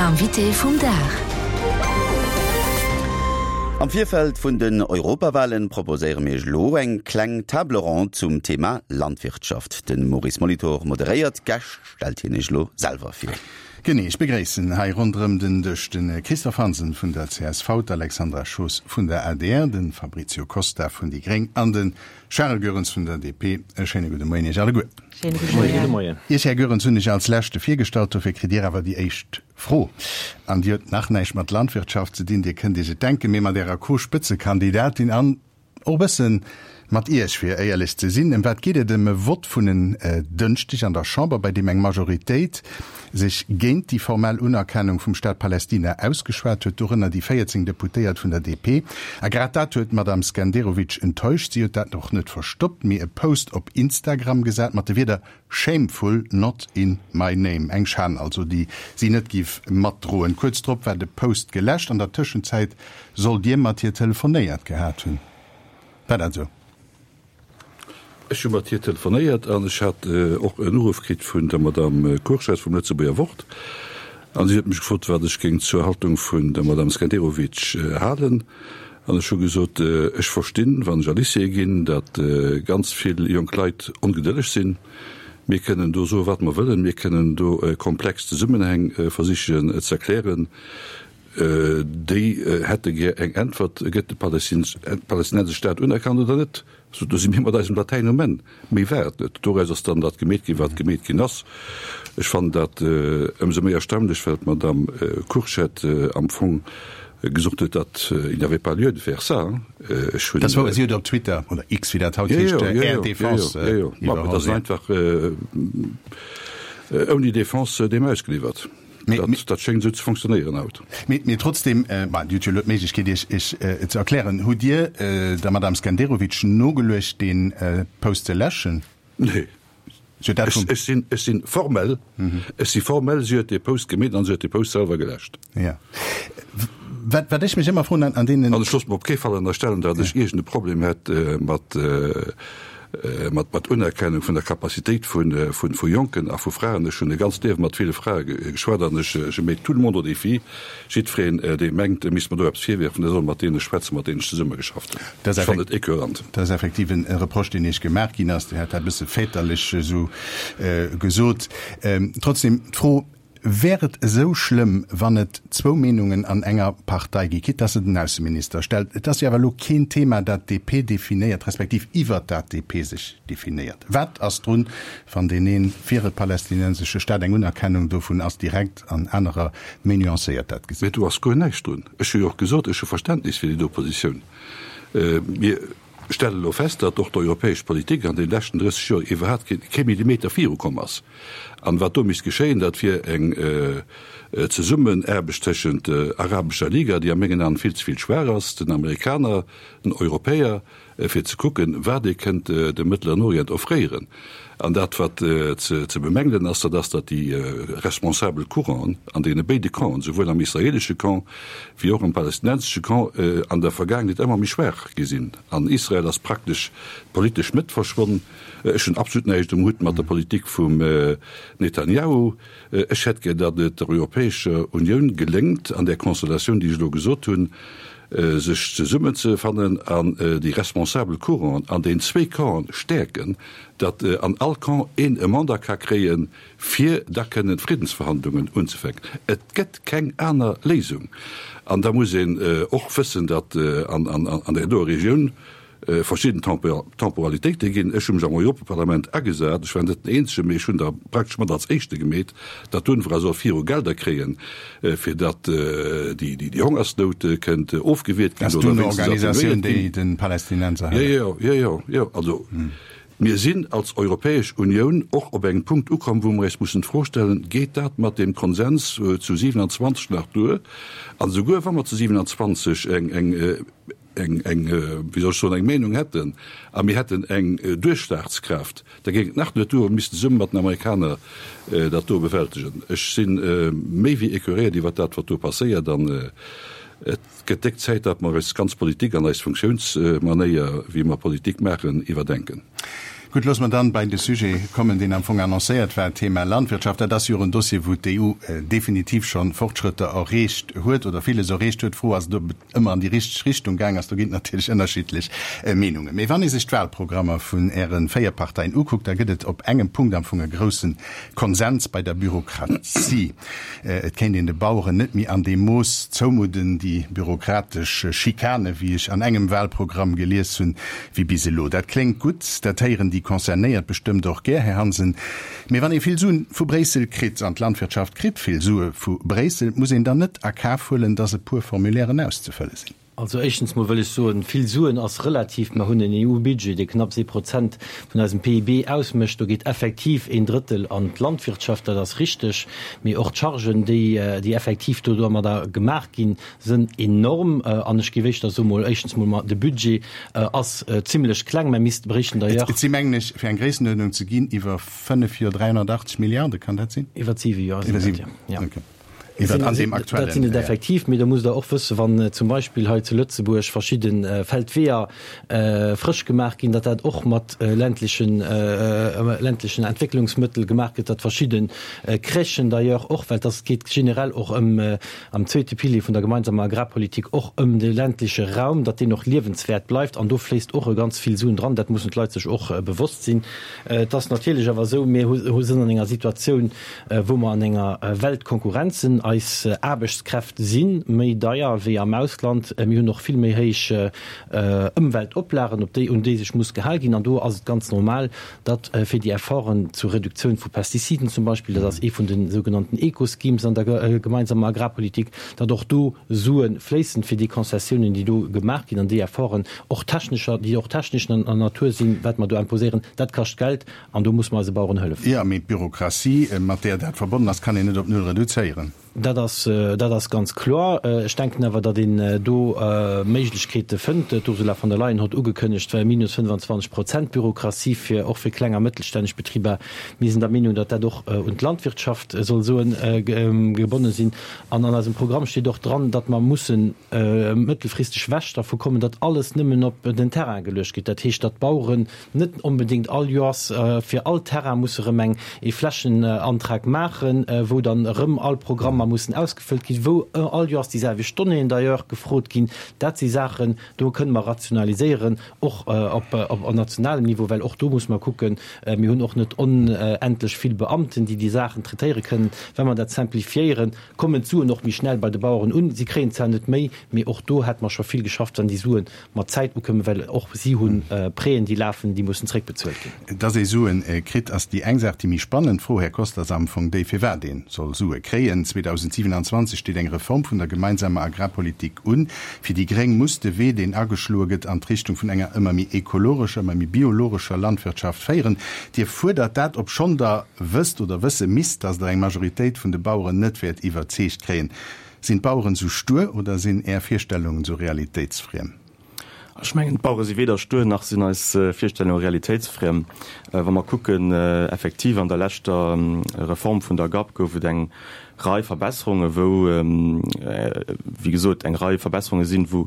L'invité vum Dag. Am Virfeld vun den Europawalen proposéiere mir iech elo eng kleng Table ronde zum Thema Landwirtschaft. De Maurice Molitor moderéiert, d'Gäscht stellt hien iech elo selwer vir. Genee, ech begréissen hei ronderëm den Dësch de Christophe Hansen vun der csv, d'Alexandra Schoos vun der adr, de Fabricio Costa vun déi gréng an de Charel Goerens vun der DP. E schéine gudde Moien Iech alleguer. Schéine gudde Moien. Iech, Här Goerens, hunn ech als Leschte virgestallt, dofir kritt Dir awer déi éischt Fro. An déi huet nach näischt mat Landwirtschaft ze dinn, Dir kënnt Iech et denken, mee mat Ärer Co-Spëtzekandidatin an och e bësse mat Iech, fir éierlech ze sinn. Ëm wat geet et? Ëm e Vott vun en Dënschdeg an der Chamber, bei deem eng Majoritéit sech géint déi formell Unerkennung vum Staat Palästina ausgeschwat huet, dorënner déi 14 Deputéiert vun der DP. A grad dat huet d'Madame Skenderovic enttäuscht. Si huet dat och net verstoppt, mee e Post op Instagram gesat mat de Wierder Shameful, not in my name. Eng Schan also, déi si net giff matdroen. Kuerz drop war de Post geläscht. An der Tëschenzäit sollt Dir mat hir telefonéiert gehat hunn. War dat esou? Ech hu mat hir telefonéiert an ech hat och en Uruff kritt vun der Madame Kurschess vum Lëtzebuerger Wort an si huet mech gefrot, wat ech géing zur Haltung vun der Madame Skenderovic halen. An ech hu gesot, ech verstinn, wann ech a Lycéeë ginn, datt ganz vill jonk Leit ongedëlleg sinn. Mir kënnen do soen, wat mer wëllen, mir kënnen do komplex Zesummenhäng versichen ze erklären. Déi hätte gär eng Äntwert, Gëtt de palästinensesche Staat unerkannt oder net? Do si mir mat eisem Latäin um Enn. Méi war et net. Doraus ass dann dat gemeet ginn, wat gemeet ginn ass. Ech fannen dat ëmsou méi erstaunlech, well d'Madame Kurschet am Fong gesot huet, datt il n'y avait pas lieu de faire ça. Ech hunn. Dat wor, si huet op Twitter, oder X, wéi dat haut heescht, Är Defense iwwerholl. Dat ass einfach ouni Defense deem ausgeliwwert. Dat schéngt esou ze fonctionnéieren haut. Mee trotzdem, bon, Dir hutt jo elo d'Méiglechkeet, Iech Iech ze erklären. Hutt Dir der Madame Skenderovic nogeluecht, dee Post ze läschen? Nee. Ech sinn, ech sinn formell, ech si formell, si huet dee Post gemeet an si huet dee Post selwer geläscht. Jo. Wat, wat ech mech ëmmer froen an deenen. An ech loosse mer op kee Fall ënnerstellen, datt ech iergend e Problem hätt mat, mat mat Unerkennung vun der Capacitéit vun vun vu Jonken a vu Fraen. Ech hunn e ganzt Liewe mat ville Frae geschwat an ech je mets tout le monde au défi, jiddwereen, dee mengt, e misst mer do eppes virwierfen, dee soll mat deene schwätzen, mat deenen ech zesummegeschafft hunn. Ech fannen et écœurant. Dat ass effektiv e Reproche, deen Iech gemaach ginn ass. Dir hat dat e bësse väterlech esou gesot. Trotzdem d'Fro, Wär et esou schlëmm, wann et zwou Meenungen an enger Partei gi, quitte dass se den Ausseminister stellt? Et ass jo awer elo keen Thema, dat d'DP definéiert, respektiv iwwert dat d'DP sech definéiert. Wat ass drun, wann deen ee fir e palästinensesche Staat, eng Unerkennung dovun ass direkt, an anerer méi nuancéiert dat gesinn? Mee do ass guer näischt drun. Ech hu jo och gesot, ech hu Verständnis fir déi do Positioun. Mir stelle elo fest, datt och d'europäesch Politik an deene leschten 30 Joer iwwerhaapt kee Millimeter virukomm ass. An wat do misst geschéien, dat wier eng Zesummenaarbecht tëschent der Arabescher Liga, déi a mengen Aen vill ze vill schwaach ass, den Amerikaner, den Europäer, fir ze kucken, wat ee kënnt dem Mëttleren Orient offréieren. An dat, wat ze bemängelen ass, dat ass, datt déi responsabel Courant'en an deene béide Campen, souwuel am israeelesche Camp wéi och am palästinensesche Camp, an der Vergaangenheet ëmmer méi schwaach gi sinn. An Israel ass praktesch d'politesch Mëtt verschwonn. Ech hunn absolut näischt um Hutt mat der Politik vum Netanjahu. Ech hätt gär, datt et der Europäescher Unioun geléngt, an där Konstellatioun, déi ech elo gesot hunn, sech zesummenzefannen an déi responsabel Courant'en an den zwéi Campen stäerken, datt an all Camp een e Mandat ka kréien, fir da kënnen Friddensverhandlungen unzefänken. Et gëtt keng aner Léisung. An da muss een och wëssen, datt an där doer Regioun verschidden Temporalitéite ginn. Ech hu mech am Europaparlament agesat, ech war net den Eenzegen, mee ech hunn der praktesch mat als Éischte gemeet, datt d'UNRWA soll viru Gelder kréien, fir datt déi Hongersnout kënnt ofgewiert ginn oder wéinstens atténuéiert ginn. Jo, jo, jo, jo. Also mir sinn als Europäesch Unioun och op engem Punkt ukomm, wou mer eis mussen d'Fro stellen, Geet dat mat deem Konsens zu 27 nach duer? An esouguer wa mer zu 27 eng, eng, eng, eng, wéi soll ech soen, eng Meenung hätten a mir hätten eng Duerchschlagskraaft, da géing et nach net duer, mir missten zesumme mat den Amerikaner dat do bewältegen. Ech si méi wéi écœuréiert iwwert dat, wat do passéiert an et gëtt déck Zäit, datt mer eis ganz Politik an eis Funktiounsmanéier, wéi mer Politik maachen, iwwerdenken. Gutt, loosse mer dann bei de Sujet kommen, deen am Fong annoncéiert war, d'Thema Landwirtschaft. Dat ass jo och en Dossier, wou d'EU definitiv scho Fortschrëtter erreecht huet oder villes erreecht huet. D'Fro ass, ob et ëmmer an déi richteg Richtung gaang ass. Do ginn et natierlech ënnerschiddlech Meenungen. Mee wann ee sech d'Wahlprogrammer vun Äre 4 Parteien ukuckt, da gëtt et op engem Punkt am Fong e grousse Konsens, bei der Bürokratie. Et kéint een de Baueren net méi an deem Mooss zoumudden, déi bürokratesch Schikane, wéi ech an engem Wahlprogramm gelies hunn, wéi bis elo. Dat kléngt gutt, dat héieren déi Concernéiert bestëmmt och gär, Här Hansen. Mee wann ee vill Suen vu Bréissel kritt, an d'Landwirtschaft kritt vill Sue vu Bréissel, muss een dann net a Kaf huelen, datt e puer Formulairen auszefëlle sinn? Also éischtens mol wëll ech soen, vill Suen ass relativ. Mer hunn en EU-Budget, dee knapps ee Prozent vun eisem PIB ausmécht. Do geet effektiv een Drëttel an d'Landwirtschaft, dat ass richteg. Mee och d'Chargen, déi, déi effektiv do domadder gemaach ginn, sënn enorm. An ech géif éischter soen, mol éischtens mol, de Budget ass zimlech kleng. Mer misste bréichten d'ailleurs. Et si mengen ech, fir eng Gréissenuerdnung ze ginn, iwwer fënnef Joer 380 Milliarde, kann dat sinn? Iwwer siwe Joer sinn dat, jo. Okay. Iwwer an deem aktuellen. Dat sinn et effektiv, mee da musst Der och wëssen, wann zum Beispill hei zu Lëtzebuerg verschidde Feldweeër frësch gemaach ginn, datt dat och mat ländlechen, ländlechen Entwécklungsmëttel gemaach gëtt, datt verschidde Crèchen d'ailleurs och, well dass geet generell och ëm am zweete Pilier vun der gemeinsamer Agrarpolitik och ëm de ländleche Raum, datt deen och liewenswäert bleift an do fléisst och e ganz vill Suen dran. Dat mussen d'Leit sech och bewosst sinn. Et ass natierlech awer esou, mir hu sinn an enger Situatioun, wou mer an enger Weltkonkurrenz sinn. Eis Aarbechtskräfte si méi deier wéi am Ausland. Mir hunn och vill méi héich Ëmweltoplagen, op déi, un déi sech muss gehal ginn. An do ass et ganz normal, datt fir déi Efforten zur Reduktioun vu Pestiziden zum Beispill, dat ass ee vun de sougenannten Eco-Schemes an der gemeinsamer Agrarpolitik, datt och do Sue fléissen, fir déi Konzessiounen, déi do gemaach ginn, an déi Efforten, och technescher, déi och technescher Natur sinn, wat mer do imposéieren, dat kascht Geld. An do muss mer eise Baueren hëllefen. Jo, mee d'Bürokratie, mat där dat verbonnen ass, kann een net op null reduzéieren. Dat ass, dat ass ganz kloer. Ech denken awer, datt een do Méiglechkeete fënnt. D'Ursula von der Leyen hott ugekënnegt, minus 25 Prozent Bürokratie fir, och fir kleng a mëttelstänneg Betriber. Mir sinn der Meenung, datt dat och un d'Landwirtschaft soll soen gebonne sinn. An an eisem Programm steet och dran, datt mer mussen mëttelfristeg ewech dervu kommen, datt alles nëmmen op den Terrain geluecht gëtt. Dat heescht, datt d'Baueren net onbedéngt all Joers fir all Terrain musse erëm eng ee Flächenantrag maachen, wou dann erëm all Programmer mussen ausgefëllt ginn, wou all Joers déi selwecht Donnéeën d'ailleurs gefrot ginn. Dat si Saachen, do kënne mer rationaliséieren, och op op nationalem Niveau, well och do muss mer kucken, mir hunn och net onendlech vill Beamten, déi déi Saachen traitéiere kënnen. Wa mer dat simplifiéieren, kommen d'Suen och méi schnell bei de Baueren un. Si kréien zwar net méi, mee och do hätte mer scho vill geschafft, wann déi Suen mat Zäit ukommen, well och si hu Prêten, déi lafen, déi mussen zréckbezuelt ginn. Dass ee Suen kritt, ass déi eng Saach. Déi méi spannend Fro, Här Koster, ass am Fong déi, firwat ee soll Sue kréien. 2027 steet eng Reform vun der gemeinsamer Agrarpolitik un. Fir déi gréng muss de Wee, deen ageschloe gëtt, an d'Richtung vun enger ëmmer méi ekologescher, ëmmer méi biologescher Landwirtschaft féieren. Dir fuerdert dat, obschonn Der wësst oder wësse misst, dass Der eng Majoritéit vun de Baueren net wäert iwwerzeegt kréien. Sinn d'Baueren sou stuer oder sinn Är Virstellungen sou realitéitsfriem? Ech mengen, d'Bauere si weder stuer nach sinn eis Virstellunge realitéitsfriem. Wa mer kucken, effektiv an der leschter Reform vun der GAP gouf et eng Rei Verbesserungen, wou, wéi gesot, eng Rei Verbesserunge sinn, wou,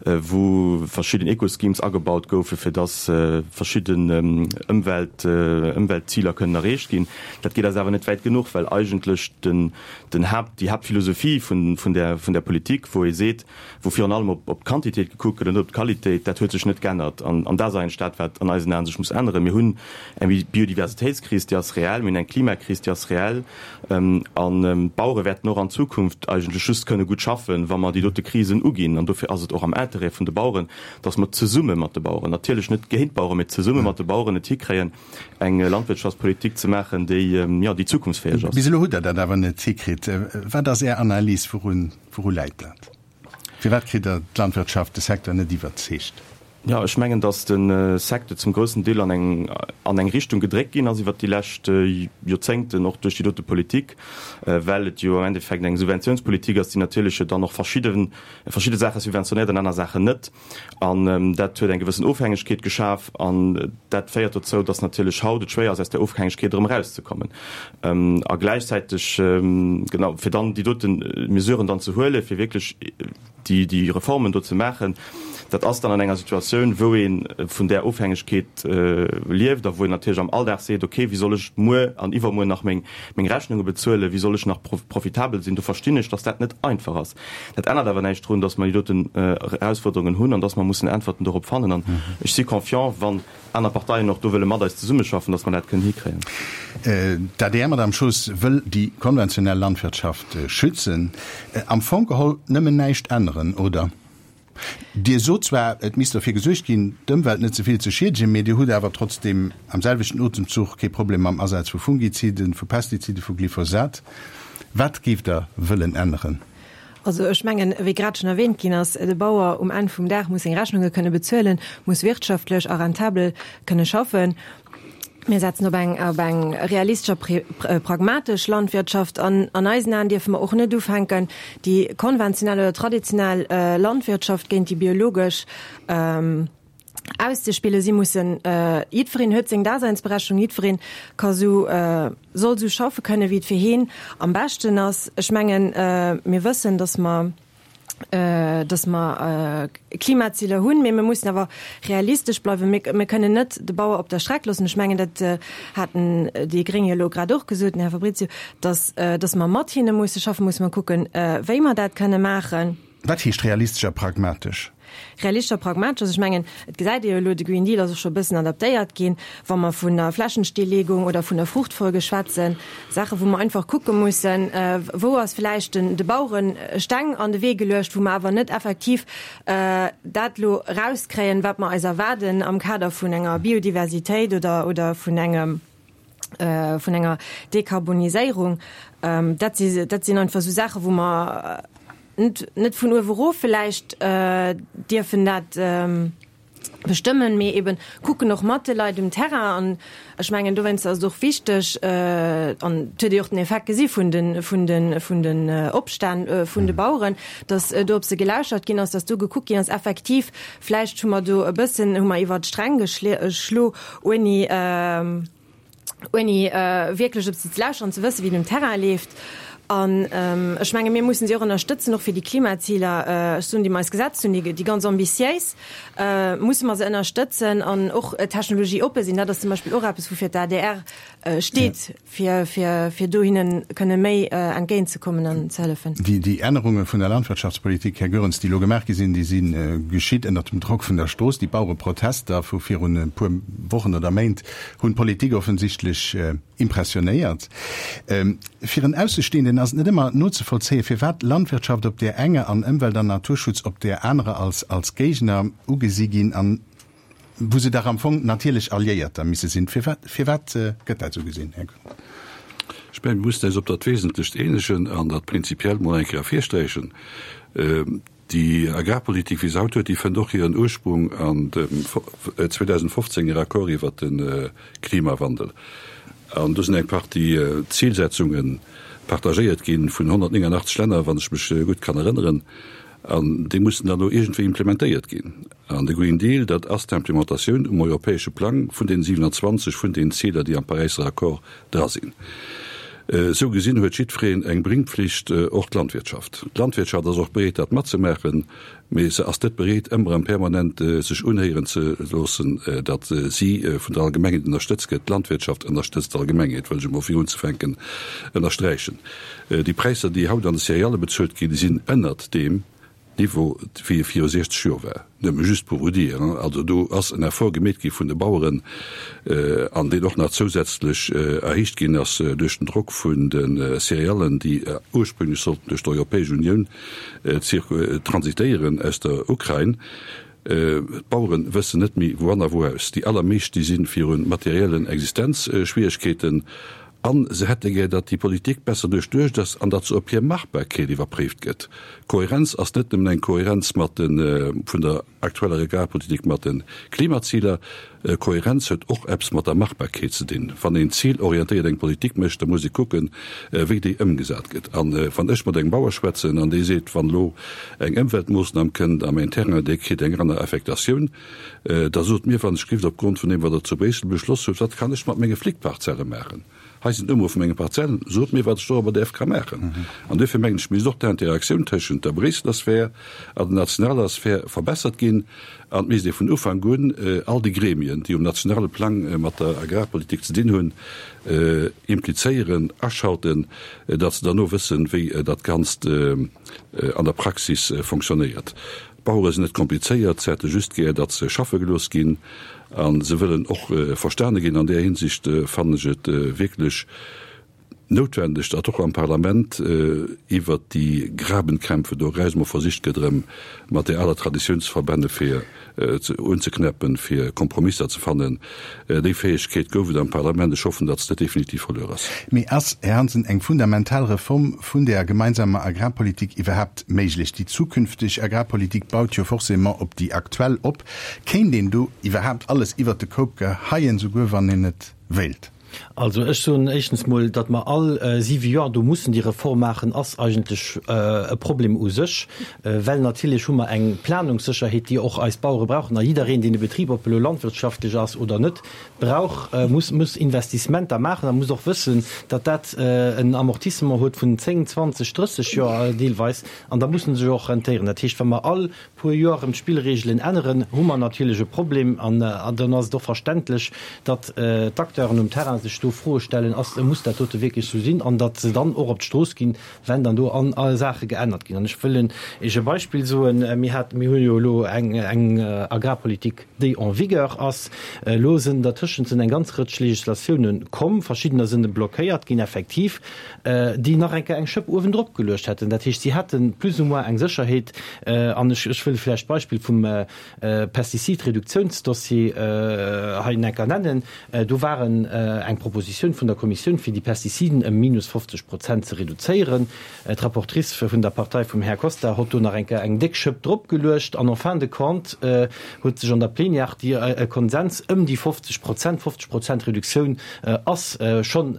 wou verschidden Eco-Schemes agebaut goufen, fir dass verschidden Ëmwelt, Ëmweltziler kënnen erreecht ginn. Dat geet eis awer net wäit genuch, well eigentlech den, den Haapt, déi Haaptphilosophie vun, vun där, vun där Politik, wou ee seet, wou virun allem op, op d'Quantitéit gekuckt gëtt an net op d'Qualitéit, dat huet sech net geännert. An, an dat ass eigentlech dat, wat an eisen Aen sech muss änneren. Mir hunn eng Biodiversitéitskris, déi ass reell. Mir hunn eng Klimakris, déi ass reell. An d'Bauere wäerten och an Zukunft eigentlech just kënne gutt schaffen, wa mer déi dote Krisen uginn. An dofir ass et och am Interêt vun de Baueren, dass mer zesumme mat de Baueren, natierlech net géint d'Baueren, mee zesumme mat de Baueren et hikréien, eng Landwirtschaftspolitik ze maachen, déi, jo, déi zukunftsfäeg ass. Bis elo hutt Der dat awer net hikritt. Wat ass Är Analys? Wourun, wouru läit dat? Firwat kritt Der d'Landwirtschaft, de Secteur net iwwerzeegt? Jo, ech mengen, datt de Secteur zum groussen Deel an eng, an eng Richtung gedréckt ginn ass iwwert déi lescht Joerzéngten, och duerch déi dote Politik, well et jo am Endeffekt eng Subventiounspolitik ass, déi natierlech jo dann och verschidde, verschidde Saache subventionéiert an aner Saachen net. An dat huet eng gewëssen Ofhängegkeet geschaf. An dat féiert dozou, datt natierlech haut et schwéier ass, aus där Ofhängegkeet erëm erauszekommen. A gläichzäiteg, genau, fir dann déi dote Mesuren dann ze huelen, fir wierklech. Déi Reformen do ze maachen, dat ass dann an enger Situatioun, wou ee vun där Ofhängegkeet lieft a wou een natierlech am Alldag seet, okay, wéi soll ech muer an iwwermuer nach meng Rechnunge bezuelen, wéi soll ech nach profitabel sinn. Do verstinn ech, datt dat net einfach ass. Dat ännert awer näischt drun, datt mer déi doten Erausfuerderungen hunn an datt mer mussen Äntwerten dorop fannen. An ech si confiant, wann aner Parteien och do wëlle mat eis zesummeschaffen, datt mer dat kënnen hikréien. D'ADR, Madame Schoos, wëll déi konventionell Landwirtschaft schützen. Am Fong geholl nëmmen näischt änneren, oder? Dir sot zwar, et misst derfir gesuergt ginn, d'Ëmwelt net ze vill ze schiedegen, mee Dir hutt awer trotzdeem am selwechten Otemzuch kee Problem mam Asaz vu Fungiziden, vu Pestiziden, vu Glyphosat. Wat géift Der wëllen änneren? Also ech mengen, wéi grad schonn erwähnt ginn ass, de Bauer um Enn vum Dag muss seng Rechnunge kënne bezuelen, muss wirtschaftlech a rentabel kënne schaffen. Mir setzen op eng, op eng realistesch a pragmatesch Landwirtschaft. An an eisen Aen dierfe mer och net ufänken, déi konventionell oder traditionell Landwirtschaft géint déi biologesch auszespillen. Si mussen, jiddwereen huet seng Daseinsberechtigung, jiddwereen ka sou, soll sou schaffe kënnen, wéi et fir heen am beschten ass. Ech mengen, mir wëssen, dass mer, dass mer Klimaziler hunn, mee mir mussen awer realistesch bleiwen. Mir, mir kënnen net de Bauer op der Streck loossen. Ech mengen, dat haten déi Gréng jo elo grad och gesot, den Här Fabrizio, dass, dass mer mat hinne musse schaffen, musse mer kucken, wéi mer dat kënne maachen. Wat heescht realistesch a pragmatesch? Realistesch a pragmatesch, also ech mengen, et gesäit ee jo elo, de Green Deal ass och scho e bëssen adaptéiert ginn, wa mer vun der Flächenstilllegung oder vun der Fruchtfolge schwätzen, Saache wou mer einfach kucke mussen, wou ass vläicht den de Bauere Steng an de Wee geluecht, wou mer awer net effektiv dat elo erauskréien, wat mer eis erwaarden am Kader vun enger Biodiversitéit oder oder vun engem vun enger Dekarboniséierung. Dat si dat sinn einfach esou Saache wou mer net net vun uewe erof vläicht dierfen dat bestëmmen, mee eben kucken och mat de Leit um Terrain. An ech mengen, dowéinst ass et och wichteg, an et huet ee och den Effekt gesi vun de vun de vun den Opstänn vun de Baueren, datt do op se gelauschert ginn ass, datt do gekuckt ginn ass, effektiv, vläicht hu mer do e bëssen, hu mer iwwert d'Sträng geschlo, ouni, ouni wierklech op se ze lauschteren, ze wëssen, wéi et um Terrain leeft. An ech menge mir mussen si och ënnerstëtzen, och fir déi Klimaziler, ech soen, déi mer eis gesetzt hunn, déi ganz ambitiéis, musse mer se ënnerstëtzen an och technologieoppe sinn. Dat ass zum Beispill och eppes, woufir d'ADR steet. fir, fir, fir do hinne kënne méi entgéintzekommen an ze hëllefen. Déi, déi Ännerunge vun der Landwirtschaftspolitik, Här Goerens, déi elo gemaach gi sinn, déi si geschitt ënnert dem Drock vun der Strooss. Déi Bauereprotester vu virun e puer Wochen oder Méint hunn d'Politik offensichtlech impressionéiert. Fir en Aussestehenden ass et net ëmmer nozevollzéien, firwat Landwirtschaft op där enger an Ëmwelt an Naturschutz op där anerer als, als Géigner ugesi ginn an wou se dach am Fong natierlech Alliéierter misse sinn. Firwat, firwat gëtt dat esou gesinn, Här Goerens? Ech mengen, mir mussen eis op dat Wesentlecht eenegen an dat prinzipiell mol eng Kéier ervirsträichen. Déi Agrarpolitik, wéi se haut huet, déi fënnt och hiren Ursprung an dem 2015 er Accord iwwert de Klimawandel. An do sinn eng Partie Zilsetzunge partagéiert gi vun 189 Länner, wann ech mech gutt kann erënneren. An déi mussen dann elo iergendwéi implementéiert ginn. An de Green Deal, dat ass d'Implementatioun um europäesche Plang vun deenen 27, vun deenen Ziler, déi am Paräisser Accord dra sinn. Esou gesinn huet jiddwereen eng Bringpflicht, och d'Landwirtschaft. D'Landwirtschaft ass och bereet, dat matzemaachen, mee se ass net bereet, ëmmer erëm permanent sech unhéieren ze loossen, datt si vun der Allgemengheet ënnerstëtzt gëtt. D'Landwirtschaft ënnerstëtzt d'Allgemengheet, wëll ech emol fir unzefänken ënnersträichen. Déi Präisser, déi haut an de Céréalë bezuelt ginn, déi sinn ënnert deem Niveau, wéi e viru 60 Joer war. Nëmme just pour vous dire, also do ass en Effort gemeet gi vun de Baueren, an deen och nach zousätzlech erhéicht ginn ass duerch den Drock vun de Céréallen, déi ursprünglech sollten duerch d'Europäesch Unioun transitéieren aus der Ukrain. D'Baueren wëssen net méi wou an a wou aus. Déi allermeescht, déi si viru materiellen Existenzschwieregkeeten a se hätte gär, datt déi Politik besser duerchduecht ass an datt se op hir Machbarkeet iwwerpréift gëtt. Kohärenz ass net nëmmen eng Kohärenz mat de vun der aktueller Agrarpolitik mat de Klimaziler. Kohärenz huet och eppes mat der Machbarkeet ze dinn. Wann een zilorientéiert eng Politik mécht, da muss ee kucken, wéi déi ëmgesat gëtt. A wann ech mat engem Bauer schwätzen an dee seet, wann elo eng Ëmweltmoossnam kënnt a mäin Terrain, dee kritt eng aner Affektatioun, da sot mir, wann ech gelift, opgrond vun deem, wat Der zu Bréissel beschloss hutt, wat kann ech mat menge Flickparzelle maachen? Hei sinn d'Nummere vu menge Parzellen, sot mir, wat ech dorobber däerf ka maachen. An duerfir mengen ech, misst och d'Interaktioun tëschent der Bréisseler Sphär an der nationaler Sphär verbessert ginn an et misst ee vun Ufank un all déi Gremien, déi um nationale Plang mat der Agrarpolitik ze dinn hunn, implizéieren, aschalten, datt se derno wëssen, wéi dat Ganzt an der Praxis fonctionnéiert. D'Bauere sinn net komplizéiert, se hätte just gär, datt se schaffe gelooss ginn a se wëllen och verstane ginn. An där Hinsicht fannen ech et wierklech noutwendeg, datt och am Parlament iwwert déi Grabenkämpfe do eraus emol versicht gëtt, erëm mat där aler Traditioun ze verbenne fir unzeknäppen, fir Kompromisser ze fannen. Déi Fäegkeet gouf et am Parlament. Ech hoffen, datt se net definitiv verluer ass. Mee ass, Här Hansen, eng fundamental Reform vun där gemeinsamer Agrarpolitik iwwerhaapt méiglech? Déi zukünfteg Agrarpolitik baut jo forcément op déi aktuell op. Kéint een do iwwerhaapt alles iwwert de Koup geheien, souguer wann een et wéilt? Also ech soen éischtens mol, datt mer all siwe Joer do mussen déi Reform maachen, ass eigentlech e Problem u sech, well natierlech hu mer eng Planungssécherheet, déi och eis Bauere brauchen. A jiddereen, deen e Betrib, ob elo landwirtschaftlech ass oder net, brauch, muss, muss Investissementer maachen a muss och wëssen, datt dat en Amortissement huet vun 10, 20, 30 Joer deelweis. An da muss en sech och rentéieren. Dat heescht, wa mer all puer Joer erëm d'Spillregelen änneren, hu mer natierlech e Problem. An dann ass et och verständlech, datt d'Acteuren um Terrain sech do Froe stellen, Ass, muss dat dote wierklech esou sinn? An datt se dann och op d'Strooss ginn, wenn dann do an Saache geännert ginn. An ech wëll Iech e Beispill soen, Mir haten, mir hu jo elo eng, eng Agrarpolitik, déi en vigueur ass. Elo sinn dertëschent sinn eng ganz Rëtsch Législatiounen komm, verschiddener sinn blockéiert ginn effektiv, déi nach eng Kéier eng Schëpp uewendrop geluecht hätten. Dat heescht, si hätte plus ou moins eng Sécherheet. An ech, ech wëll vläicht d'Beispill vum Pestizidreduktionsdossier hei eng Kéier nennen. Do war eng Propositioun vun der Kommissioun, fir déi Pestiziden ëm minus 50 Prozent ze reduzéieren. D'Rapportrice vun der Partei vum Här Costa hott do nach eng Kéier eng déck Schëpp drop geluecht an en fin de compte huet sech an der Plenière déi e Konsens ëm déi 50 Prozent, 50 Prozent Reduktioun ass schonn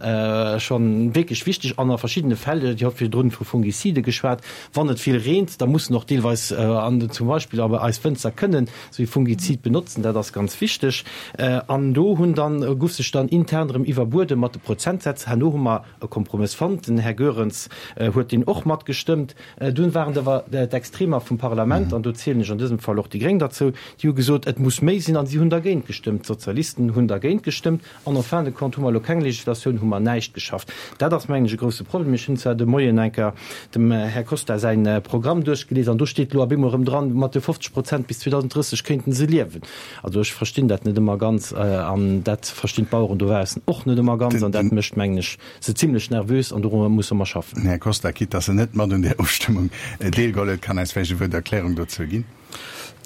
schonn wierklech wichteg an a verschiddene Fäll, Dir hott virdrun vu Fungicide geschwat, wann et vill reent, da mussen och deelweis an zum Beispill awer eis Wënzer kënnen esou ee Fungizid benotzen, dat ass ganz wichteg. An do hunn dann, guff sech dann intern erëm iwwerbuede mat de Prozentsätz. Herno hu mer e Kompromëss fonnt. Den Här Goerens huet deen och matgestëmmt. Dunn waren et awer d'Extremer vum Parlament, an do zielen ech an dësem Fall och déi Gréng derzou, déi hu gesot, et muss méi sinn, an si hunn dergéint gestëmmt. D'Sozialisten hunn dergéint gestëmmt. An en fin de compte hu mer elo keng Legislatioun, hu mer näischt geschafft. Dat ass, mengen ech, e grouse Problem. Ech hunn zwar de Moien eng Kéier dem Här Costa säi Programm duerchgelies, an do steet elo op eemol erëm dran, mat de 50 Prozent bis 2030 kéinten se liewen. Also ech verstinn dat net ëmmer ganz an dat verstinn d'Baueren dobaussen och net ëmmer ganz an dat mécht, mengen ech, se zimlech nervös an dorunner musse mer schaffen. Den Här Costa, quitte dass en net mat un där Ofstëmmung deelgeholl huet, kann eis vläicht e Wuert Erklärung dozou ginn.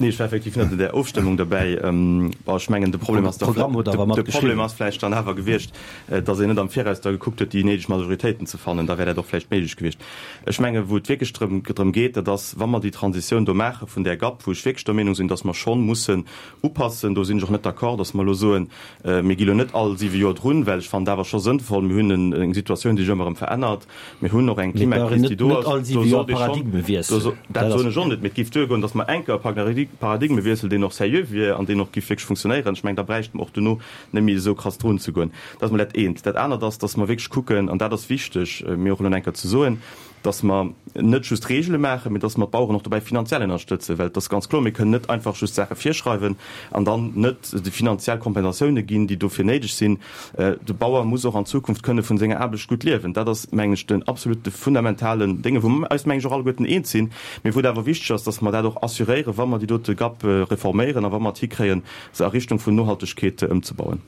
Nee, ech war effektiv net un där Ofstëmmung derbäi. Bon, ech mengen, de Problem ass da, de Problem ass vläicht dann awer gewiescht, dass een net am Viraus da gekuckt huet, déi néideg Majoritéiten ze fannen. Da wär dat och vläicht méiglech gewiescht. Ech mengen, wou et wierklech drëm drëm geet, dat ass, wa mer déi Transitioun do maache vun där GAP, wou ech wierklech der Meenung sinn, dass mer schonn mussen upassen, do sinn ech och net d'accord, dass mer elo soen, mir gi lo net all siwe Joer drun, well ech fannen et awer scho sënnvoll, mir hunn eng Situatioun, déi sech ëmmer erëm verännert, mir hunn och eng Klimakris, déi do ass, do sollt ee schonn, dat soen ech och net, mee et géif duergoen, dass mer enker e Paradigmewiessel, deen och seriö wier an deen och géif wierklech funktionéieren, ech mengen, da bräichte mer och dono net méi esou krass drun ze goen. Dat ass mol dat eent. Dat anert ass, dass mer wierklech kucken, an dat ass wichteg mir och elo nach eng Kéier ze soen, dass mer net just Regele maachen, mee dass mer d'Baueren och dobäi finanziell ënnerstëtzen. Well et ass ganz kloer, mir kënnen net einfach just Saache virschreiwen an dann net déi finanziell Kompensatioune ginn, déi dofir néideg sinn. De Bauer muss och an Zukunft kënne vun senger Aarbecht gutt liewen. Dat ass, mengen ech, den absolute fundamentalen Dénge, wou mer eis, mengen ech, och alleguerten eens sinn, mee wou et awer wichteg ass, dass mer dat och assuréieren, wa mer déi dote GAP reforméieren a wa mer et hikréien, se a Richtung vun Nohaltegkeet ëmzebauen.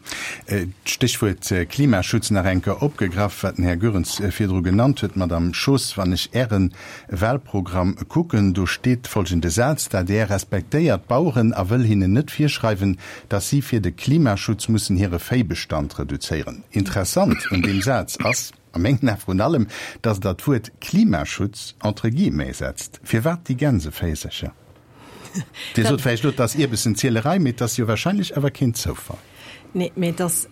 D'Stéchwuert Klimaschutz nach eng Kéier opgegraff, wat den Här Goerens virdru genannt huet. Madame Schoos, wann ech Äre Wahlprogramm kucken, do steet folgende Saz, D'adr respektéiert d'Baueren a wëll hinnen net virschreiwen, datt si fir de Klimaschutz mussen hire Véibestand reduzéieren. Interessant un deem Saz ass a mengen Ae vrun allem, datt Der d'Wuert Klimaschutz entre guillemets setzt. Firwat déi Gänseféisercher? Dir sot vläicht elo, et ass Ierbessenzielerei, mee et ass jo wahrscheinlech awer keen Zoufall. Nee, mee et ass,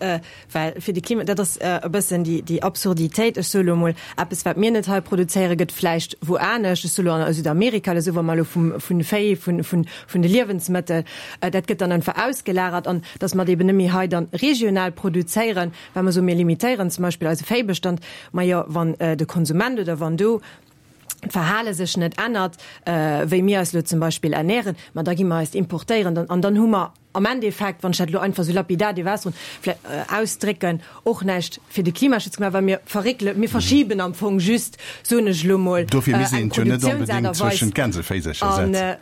well fir de Klima, dat ass e bëssen déi, déi Absurditéit, ech soe lo emol, eppes wat mir net hei produzéieren, gëtt vläicht wou anescht, ech soe lo a Südamerika oder esou, wa mer elo vum, vun Véi, vun, vun, vun de Liewensmëttel, dat gëtt dann einfach ausgelagert an datt mer et eben net méi hei dann regional produzéieren, well mer soen, mir limitéieren zum Beispill eise Véibestand. Majo, wann de Konsument oder wann do d'Verhale sech net ännert, wéi mir eis elo zum Beispill ernähren, ma da gi mer eist importéieren an dann hu mer, am Endeffekt, wann ech dat elo einfach esou lapidar dierf ausdroen, vläicht ausdrécken, och näischt fir de Klimaschutz gemaach, well mir verréckele, mir verschiben am Fong just, soen ech elo mol, Dofir misst een eng et jo net Produktiounsaart onbedéngt a Weis. zwëschen d'Gänseféisercher An setzen.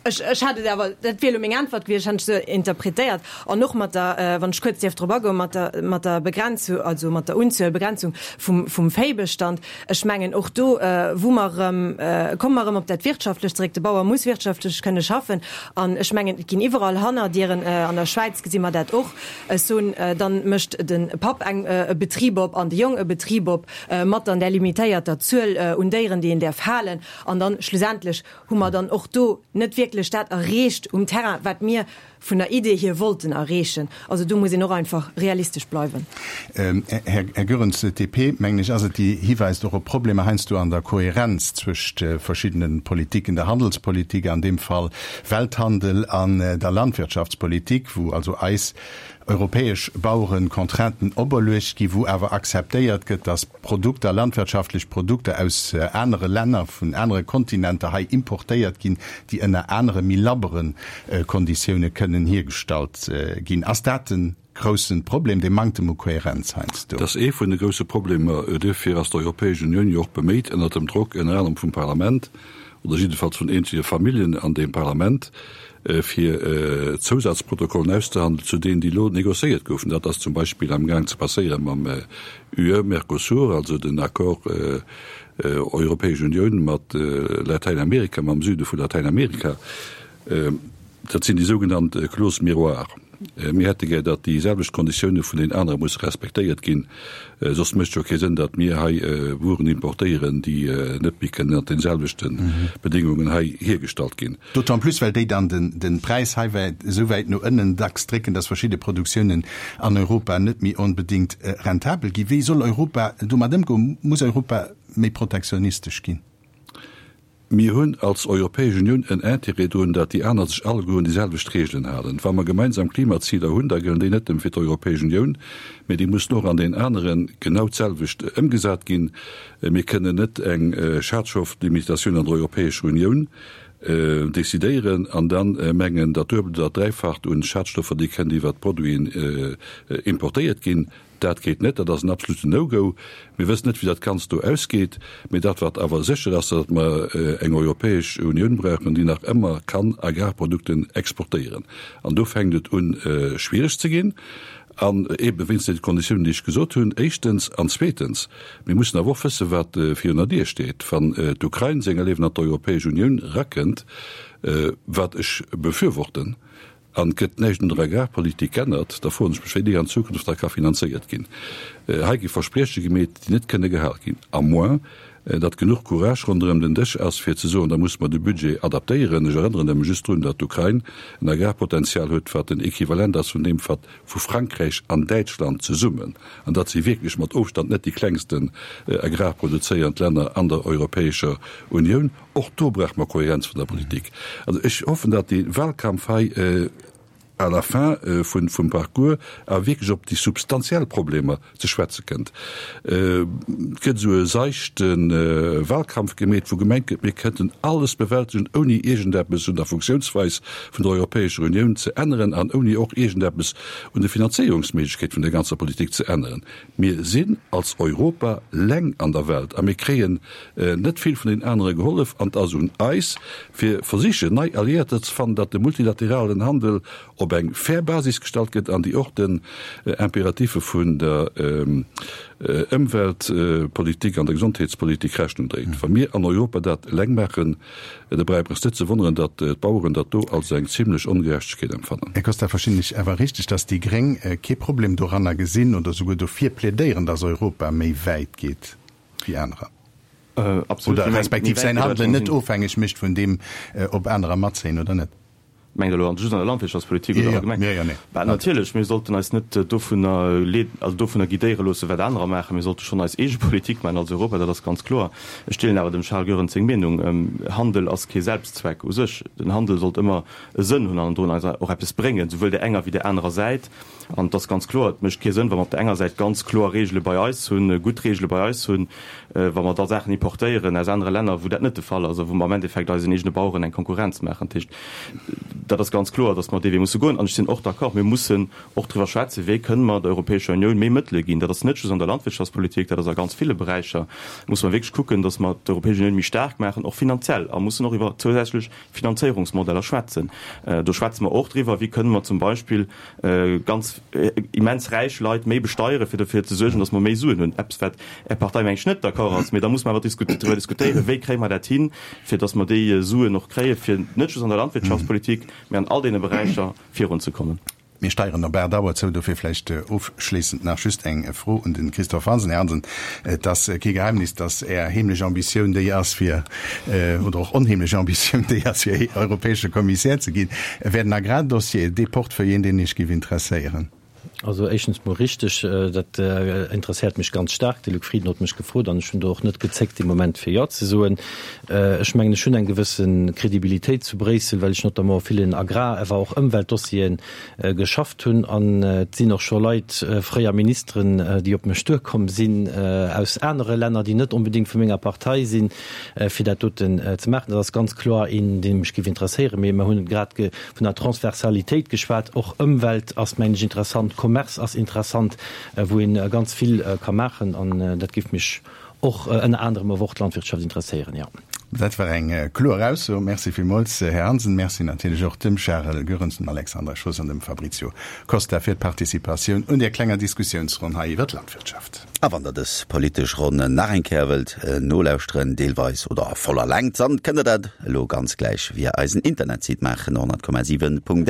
ech, ech hat et awer, dat wier elo meng Äntwert gewiescht, ech hätt ech esou interpretéiert. An och mat der, wann ech kuerz dierf drop agoen, mat der, mat der Begrenzu, also mat der Unzuelbegrenzung vum, vum Véibestand, Ech mengen, och do, wou mer erëm, komme mer erëm op dat Wirtschaftlecht zeréck, de Bauer muss wirtschaftlech kënne schaffen. An ech mengen, et ginn iwwerall Hannerdieren. An der Schwäiz gesi mer dat och. Ech soen, dann mécht de Papp eng, e Betrib op an de Jong e Betrib op, mat dann där limitéierter Zuel un Déieren, déi een däerf halen. An dann schlussendlech hu mer dann och do net wierklech dat erreecht um Terrain, wat mir vun der Idee hier wollten erreechen. Also do muss een och einfach realistesch bleiwen. Här Goerens, d'DP, mengen ech, ass et, déi hiweist och op Problemer heiansdo an der Kohärenz zwëscht verschiddene Politiken, der Handelspolitik, an deem Fall Welthandel, an der Landwirtschaftspolitik, wou also eis europäesch Baueren Contrainten operluecht gi, wou awer akzeptéiert gëtt, datt Produkter, landwirtschaftlech Produkter aus anere Länner, vun anere Kontinenter hei importéiert ginn, déi ënner anere méi labbere Konditioune kënnen hiergestallt ginn. Ass dat de grousse Problem, dee Manktem u Kohärenz heiansdo? Dat ass ee vun de grousse Problemer. Duerfir ass d'Europäesch Unioun jo och beméit, ënnert dem Drock ënner anerem vum Parlament oder jiddefalls vun eenzele Familljen an deem Parlament, fir Zousazprotokollen auszehandelen zu deenen, déi elo négociéiert goufen. Dat ass zum Beispill amgaang ze passéiere mam UE-Mercosur, also den Accord Europäesch Unioun mat Latäinamerika, mam Süde vu Latäinamerika. Dat sinn déi sougenannt Clauses miroirs. Mir hätte gär, datt déi selwecht Konditioune vun den anere musse respektéiert ginn. Soss mécht jo kee Sënn, datt mir hei Wueren importéieren, déi net méi kënnen ënnert den selwechte Bedéngungen hei hiergestallt ginn. D'autant plus, well déi dann de Präis hei wäit, esou wäit no ënnen dacks drécken, datt verschidde Produktiounen an Europa net méi onbedéngt rentabel ginn. Wéi soll Europa domat ëmgoen? Muss Europa méi protektionistesch ginn? Mir hunn als Europäesch Unioun en Intérêt drun, datt déi aner sech alleguer un déi selwecht Regeln halen. Wa mer gemeinsam Klimaziler hunn, da gëllen déi net nëmme fir d'Europäesch Unioun, mä déi mussen och an den anere genau d'selwecht ëmgesat ginn. Mir kënnen net eng Schadstofflimitatioun an der Europäescher Unioun decidéieren an da mengen, dat Duebelt oder dat Dräifacht un Schadstoffer, déi kënnt iwwert d'Produiten importéiert ginn. Dat geet net, dat ass en absoluten No-Go. Mir wëssen net, wéi dat Ganzt do ausgeet. Mee dat, wat awer sécher ass, datt mer eng Europäesch Unioun brauchen, déi nach ëmmer kann Agrarprodukten exportéieren. An do fänkt et un, schwiereg ze ginn. An eebe wéinst deene Konditiounen, déi ech gesot hunn, éischtens. An zweetens, mir mussen awer och wëssen, wat virun der Dier steet. Wann d'Ukrain senger Liewen an d'Europäesch Unioun erakënnt, wat ech befürworten, An et gëtt näischt un der Agrarpolitik g'ännert, da froen ech mech, wéi déi an Zukunft da ka finanzéiert ginn. Hei gi Versprieche gemeet, déi net kënne gehal ginn, à moins datt genuch Courage ronderëm den Dësch ass, fir ze soen, da musse mer de Budget adaptéieren. Ech erënneren nëmme just drun, datt d'Ukrain en Agrarpotenzial huet, wat den Equivalent ass vun deem, wat vu Frankräich an Däitschland zesummen, an dat si wierklech mat Ofstand net déi klengsten agrarproduzéierend Länner an der Europäescher Unioun. Och do brauche mer Kohärenz vun der Politik. Also ech hoffen, datt dee Wahlkampf hei à la fin vum Parcours awer wierklech op déi substantiell Problemer ze schwätze kënnt. Et gëtt esou e seichte Wahlkampf gemeet, wou gemengt gëtt, mir kënnten alles bewältegen, ouni iergendeppes un der Funktiounsweis vun der Europäescher Unioun ze änneren an ouni och iergendeppes un de Finanzéierungsméiglechkeet vun der ganzer Politik ze änneren. Mir sinn als Europa leng an der Welt a mir kréien net vill vun den anere gehollef an et ass un eis, fir versichen, nei Alliéierter ze fannen, datt de multilateralen Handel op eng fair Basis gestallt gëtt an déi och den Imperatiffe vun der Ëmweltpolitik an der Gesondheetspolitik Rechnung dréit. Wa mir an Europa dat eleng maachen, Da brauch mer eis net ze wonneren, datt d'Baueren dat do als eng zimlech Ongerechtegkeet empfannen. Här Costa, verstinn ech awer richteg, datt déi Gréng kee Problem doranner gesinn oder souguer dofir plädéieren, datt Europa méi wäit geet wéi anerer? Absolut. Oder respektiv säin Handelen net ofhängeg mécht vun deem, ob anerer matzéien oder net? Mengt Der elo just an der Landwirtschaftspolitik oder allgemeng? Jo, jo, nee. Bah, natierlech, mir sollten eis net dovunner leeden, also dovunner guidéiere loossen, wat anerer maachen. Mir sollte schonn eis eege Politik maachen als Europa, dat ass ganz kloer. Ech deelen awer dem Charles Goerens seng Meenung, Handel ass kee Selbstzweck u sech. Den Handel sollt ëmmer e Sënn hunn an drun eis och eppes bréngen, souwuel där enger wéi där anerer Säit. An et ass ganz kloer, et mécht kee Sënn, wa mer op der enger Säit ganz kloer Regele bei eis hunn, gutt Regele bei eis hunn, wa mer da Saachen importéieren aus anere Länner, wou dat net de Fall ass a wou mer am Endeffekt eisen eegene Baueren eng Konkurrenz maachen. Dat heescht, dat ass ganz kloer, datt mer dee Wee musse goen. An ech sinn och d'accord, mir mussen och driwwer schwätzen, wéi kënne mer der Europäescher Unioun méi Mëttele ginn. Dat ass net just an der Landwirtschaftspolitik, dat ass a ganz ville Beräicher. Musse mer wierklech kucken, datt mer d'Europäesch Unioun méi staark maachen, och finanziell, a mussen och iwwer zousätzlech Finanzéierungsmodeller schwätzen. Do schwätze mer och driwwer, wéi kënne mer zum Beispill ganz immens räich Leit méi besteieren, fir dofir ze suergen, datt mer méi Suen hunn. Eppes, wat Är Partei, meng ech, net d'accord ass. Mee da muss mer awer driwwer diskutéieren, wéi kréie mer dat hin, fir datt mer déi Suen och kréien, fir net just an der Landwirtschaftspolitik, mee an all deene Beräicher virunzekommen. Mir steieren op 8 Auer zou, dofir vläicht ofschléissend nach just eng Fro un de Christophe Hansen. Här Hansen, et ass kee Geheimnis, datt Är heemlech Ambitioun déi ass fir, oder och onheemlech Ambitioun déi ass, fir europäesche Kommissär ze ginn. Wär den Agrardossier dee Portefeuille een, deen Iech géif interesséieren? Also éischtens mol richteg, dat interesséiert mech ganz staark. De Luc Frieden huet mech gefrot an ech hunn do och net gezéckt dee Moment fir Jo ze soen. Ech mengen, ech hunn eng gewësse Kredibilitéit zu Bréissel, well ech notamment a villen Agrar-, awer och Ëmweltdossieren geschafft hunn. An et sinn och scho Leit, fréier Ministeren, déi op mech duerkomm sinn aus anere Länner, déi net onbedéngt vu menger Partei sinn, fir dat doten ze maachen. Dat ass ganz kloer een, dee mech géif interesséieren. Mee mer hunn grad vun der Transversalitéit geschwat. Och Ëmwelt ass, mengen ech, interessant, Commerce ass interessant, wou ee ganz vill ka maachen. An dat géif mech och ënner anerem awer och d'Landwirtschaft interesséieren, jo. Dat war eng kloer Ausso. Merci villmools, Här Hansen. Merci natierlech och dem Charel Goerens, dem Alexandra Schoos an dem Fabrizio Costa fir d'Participatioun un där klenger Diskussiounsronn hei iwwer d'Landwirtschaft. A wann der dës politesch Ronn nach eng Kéier wëllt nolauschteren, deelweis oder a voller Längt, dann kënnt der dat elo ganz gläich via eisen Internetsite maachen, 100,7.lu.